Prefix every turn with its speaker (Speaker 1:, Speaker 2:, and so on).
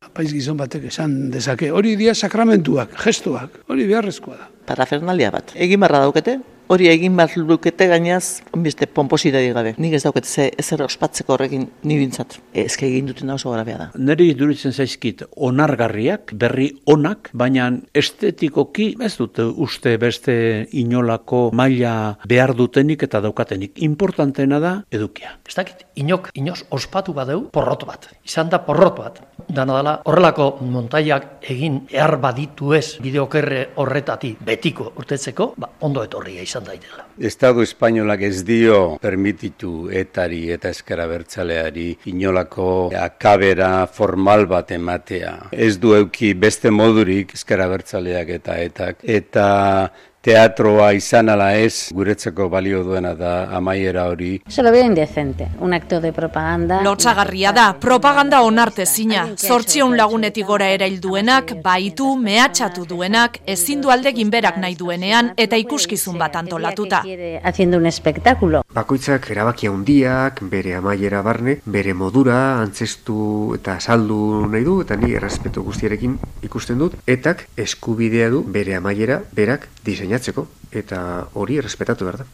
Speaker 1: Apaiz gizon batek esan dezake, hori dira sakramentuak, gestuak, hori beharrezkoa da.
Speaker 2: Parafernalia bat. Egin barra daukete, hori egin behar lukete gainaz, beste pomposidadi gabe. Nik ez daukete ezer ospatzeko horrekin nibintzat. Ezke egin duten oso grabea da.
Speaker 3: Neri duritzen zaizkit onargarriak, berri onak, baina estetikoki ez dute uste beste inolako maila behar dutenik eta daukatenik. Importanteena da edukia.
Speaker 4: Ez dakit, inoz ospatu badeu porrot bat. Izan da porrot bat. Dana dela, horrelako montaiak egin ehar baditu ez bideokerre horretati betiko urtetzeko, ondo etorria izan daitela.
Speaker 5: Estado espainolak ez dio permititu etari eta ezker abertzaleari inolako akabera formal bat ematea. Ez du euki beste modurik ezker abertzaleak eta etak. Eta teatroa izan ala ez, guretzako balio duena da amaiera hori.
Speaker 6: Se lo veo indecente, un acto de propaganda.
Speaker 7: Lotsagarria da, propaganda onartezina. 800 lagunetik gora erail duenak, baitu, mehatxatu duenak, ezin du aldegin berak nahi duenean eta ikuskizun bat antolatuta.
Speaker 6: Haciendo un espectáculo.
Speaker 8: Bakoitzak erabaki handiak, bere amaiera barne, bere modura antzestu eta saldu nahi du, eta ni errespetu guztiarekin ikusten dut, etak eskubidea du bere amaiera berak diseinatzeko, eta hori errespetatu behar da.